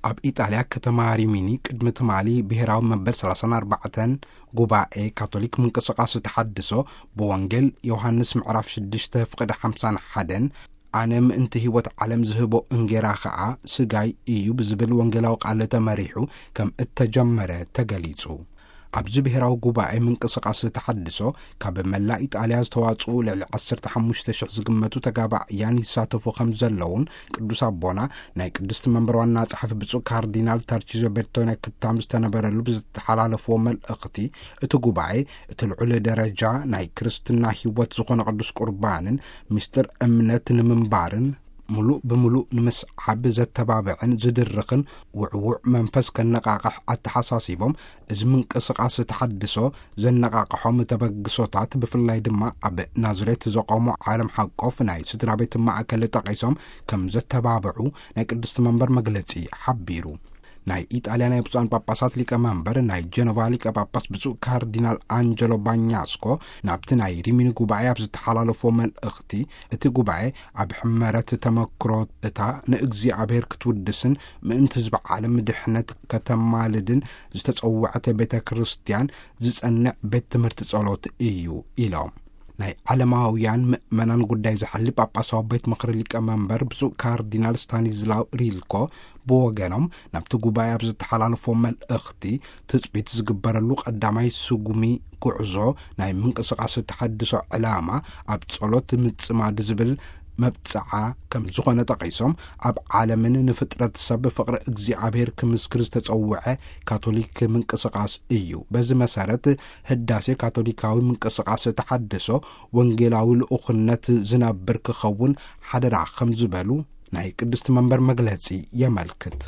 ኣብ ኢጣልያ ከተማ ሪሚኒ ቅድሚ ትማሊ ብሔራዊ መበል ሰላሳን ኣርባዕተን ጉባኤ ካቶሊክ ምንቅስቃስ ተሓድሶ ብወንጌል ዮሃንስ ምዕራፍ ሽዱሽተ ፍቕዲ ሓምሳን ሓደን፣ ኣነ ምእንቲ ህይወት ዓለም ዝህቦ እንጌራ ኸኣ ስጋይ እዩ ብዝብል ወንጌላዊ ቃል ተመሪሑ ከም እተጀመረ ተገሊጹ። ኣብዚ ብሔራዊ ጉባኤ ምንቅስቃስ ተሓድሶ ካብ መላእ ኢጣልያ ዝተዋጽኡ ልዕሊ ዓሰርተ ሓሙሽተ ሽሕ ዝግመቱ ተጋባእያን ይሳተፉ ከም ዘለውን ቅዱስ ኣቦና ናይ ቅድስቲ መንበር ዋና ጸሓፊ ብፁዕ ካርዲናል ታርቺዞ ቤርቶነ ክታም ዝተነበረሉ ብዝተሓላለፍዎ መልእኽቲ፣ እቲ ጉባኤ እቲ ልዑል ደረጃ ናይ ክርስትና ህይወት ዝኾነ ቅዱስ ቁርባንን ምስጢር እምነት ንምንባርን ምሉእ ብምሉእ ንምስዓብ ዘተባብዕን ዝድርኽን ውዕዉዕ መንፈስ ከነቃቕሕ ኣተሓሳሲቦም፣ እዚ ምንቅስቃስ ተሓድሶ ዘነቃቕሖም ተበግሶታት ብፍላይ ድማ ኣብ ናዝሬት ዘቆሙ ዓለም ሓቆፍ ናይ ስድራ ቤት ማእከል ጠቒሶም ከም ዘተባብዑ ናይ ቅድስቲ መንበር መግለጺ ሓቢሩ። ናይ ኢጣልያ ናይ ብፁዓን ጳጳሳት ሊቀ መንበር ናይ ጀኖቫ ሊቀ ጳጳስ ብፁዕ ካርዲናል ኣንጀሎ ባኛስኮ ናብቲ ናይ ሪሚኒ ጉባኤ ኣብ ዝተሓላለፎ መልእኽቲ፣ እቲ ጉባኤ ኣብ ሕመረት ተመክሮ እታ ንእግዚኣብሔር ክትውድስን ምእንቲ ህዝቢ ዓለም ድሕነት ከተማልድን ዝተጸውዐት ቤተ ክርስቲያን ዝጸንዕ ቤት ትምህርቲ ጸሎት እዩ ኢሎም። ናይ ዓለማውያን ምእመናን ጉዳይ ዝሓሊ ጳጳሳዊ ቤት ምኽሪ ሊቀ መንበር ብፁዕ ካርዲናል ስታኒዝላው ሪልኮ ብወገኖም ናብቲ ጉባኤ ኣብ ዝተሓላለፎ መልእኽቲ፣ ትጽቢት ዝግበረሉ ቀዳማይ ስጉሚ ጉዕዞ ናይ ምንቅስቃስ ተሓድሶ ዕላማ ኣብ ጸሎት ምጽማድ ዝብል መብጽዓ ከም ዝኾነ ጠቒሶም፣ ኣብ ዓለምን ንፍጥረት ሰብ ፍቕሪ እግዚኣብሔር ክምስክር ዝተጸውዐ ካቶሊክ ምንቅስቃስ እዩ። በዚ መሰረት ህዳሴ ካቶሊካዊ ምንቅስቃስ ተሓድሶ ወንጌላዊ ልኡኽነት ዝነብር ክኸውን ሓደራ ከም ዝበሉ ናይ ቅድስቲ መንበር መግለጺ የመልክት።